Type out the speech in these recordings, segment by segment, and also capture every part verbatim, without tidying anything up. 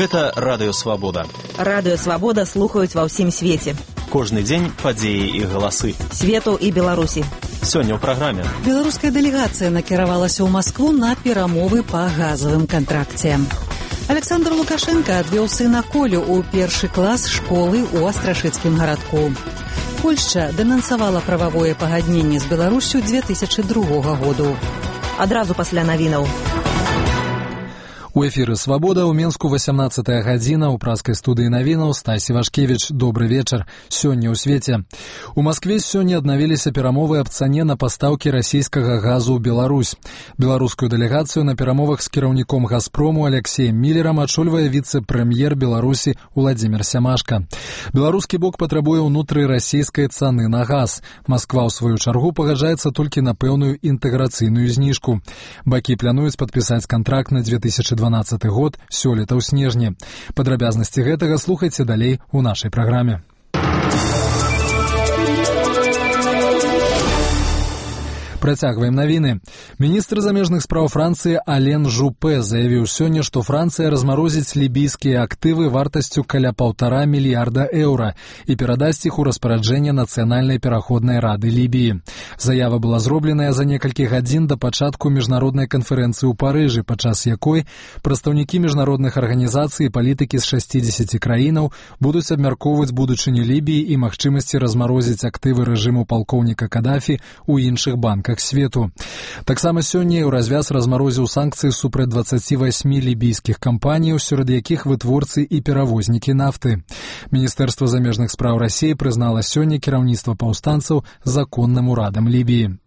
Гэта Радыё Свабода. Радыё Свабода слухаюць ва ўсім свеце. Кожны дзень падзеі і галасы. Свету і Беларусі. Сёння ў праграме. Беларуская дэлегацыя накіравалася ў Маскву на перамовы па газавым кантракце. Александр Лукашенко адвёў сына Колю ў першы клас школы ў Астрашыцкім гарадку. Польшча дэнансавала прававое пагадненне з Беларусю две тысячы другога году. Адразу пасля навінаў. У эфіры «Свабода» ў Менску васямнаццатая гадзіна, у праскай студыі навінаў Стасі Вашкевіч. Добры вечар. Сёння ў свеце. У Маскве сёння аднавіліся перамовы аб цане на пастаўкі расійскага газу ў Беларусь. Беларускую дэлегацыю на перамовах з кіраўніком «Газпрому» Алексеем Міллерам ачольвае віцэ-прэм'ер Беларусі Уладзімір Сямашка. Беларускі бок патрабуе ўнутры расійскай цаны на газ. Масква, ў сваю чаргу, пагаджаецца толькі на пэўную інтэграцыйную зніжку. Бакі плануюць падпісаць кантракт на две тысячы дванаццаты год сёлета ў снежні. Падрабязнасці гэтага слухайце далей у нашай праграме. Працягваем навіны. Міністр замежных спраў Францыі Ален Жупе заявіў сёння, што Францыя размарозіць лібійскія актывы вартасцю каля паўтара мільярда еўра і перадасць іх у распараджэнне Нацыянальнай пераходнай рады Лібіі. Заява была зробленая за некалькі гадзін да пачатку міжнароднай канферэнцыі ў Парыжы, падчас якой прадстаўнікі міжнародных арганізацый і палітыкі з шасцідзесяці краінаў будуць абмяркоўваць будучыню Лібіі і магчымасці размарозіць актывы рэжыму палкоўніка Кадафі ў іншых банках свету. Таксама сёння ў развяз размарозіў санкцыі супраць дваццаці васьмі лібійскіх кампаніяў, сярод якіх вытворцы і перавознікі нафты. Міністэрства замежных спраў Расіі прызнала сёння кіраўніцтва паўстанцаў законным урадам Лібіі.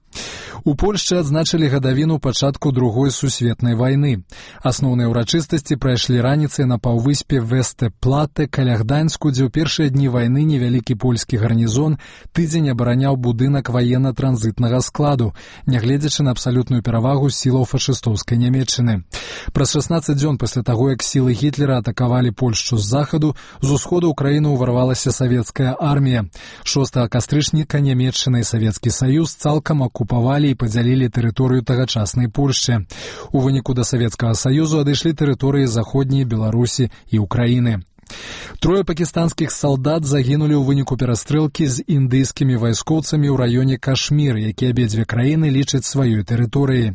У Польшчы адзначылі гадавіну пачатку другой сусветнай вайны. Асноўныя ўрачыстасці прайшлі раніцай на паўвыспе Весте-Плате каля Гданьску, дзе ў першыя дні вайны невялікі польскі гарнізон тыдзень абараняў будынак ваенна-транзітнага складу, нягледзячы на абсалютную перавагу сілаў фашыстоўскай Нямецчыны. Праз шаснаццаць дзён пасля таго, як сілы Гітлера атакавалі Польшчу з захаду, з усходу ў краіну ўварвалася савецкая армія. шостага кастрычніка Нямецчына і Савецкі Саюз цалкам акупавалі і падзялілі тэрыторыю тагачаснай Польшчы. У выніку да Савецкага Саюзу адышлі тэрыторыі заходняй Беларусі і Украіны. Трое пакістанскіх салдат загінулі ў выніку перастрэлкі з індыйскімі вайскоўцамі ў раёне Кашмір, які абедзве краіны лічаць сваёй тэрыторыяй.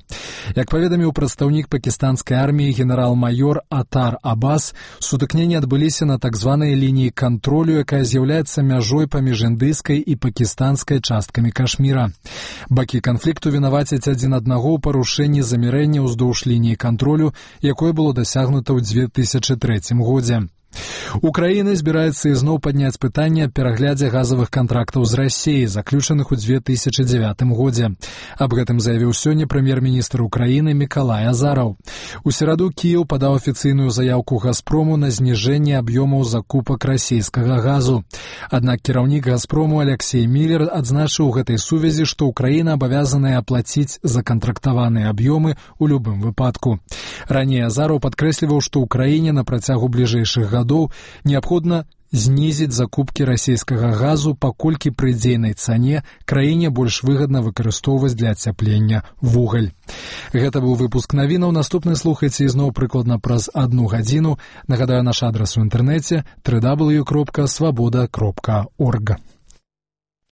Як паведаміў прадстаўнік пакістанскай арміі генерал-маёр Атар Абас, сутыкненні адбыліся на так званай лініі кантролю, якая з'яўляецца мяжой паміж індыйскай і пакістанскай часткамі Кашміра. Бакі канфлікту вінавацяць адзін аднаго ў парушэнні замірэння ўздоўж лініі кантролю, якое было дасягнута ў две тысячы трэцім годзе. Украіна збіраецца ізноў падняць пытанне аб пераглядзе газавых кантрактаў з Расіяй, заключаных у две тысячы дзявятым годзе. Аб гэтым заявіў сёння прэм'ер-міністр Украіны Мікалай Азараў. У сераду Кіеў падаў афіцыйную заяўку Газпрому на зніжэнне аб'ёмаў закупак расійскага газу. Аднак кіраўнік Газпрому Алексей Міллер адзначыў у гэтай сувязі, што Украіна абавязаная аплаціць законтрактаваныя аб'ёмы ў любым выпадку. Раней Азараў падкрэсліваў, што Украіне на працягу бліжэйшых гадоў неабходна знізіць закупкі расійскага газу, паколькі пры дзейнай цане краіне больш выгадна выкарыстоўваць для ацяплення вугаль. Гэта быў выпуск навінаў. Наступны слухайце ізноў прыкладна праз адну гадзіну. Нагадаю, наш адрас у інтэрнэце дабл ю дабл ю дабл ю кропка свабода кропка орг.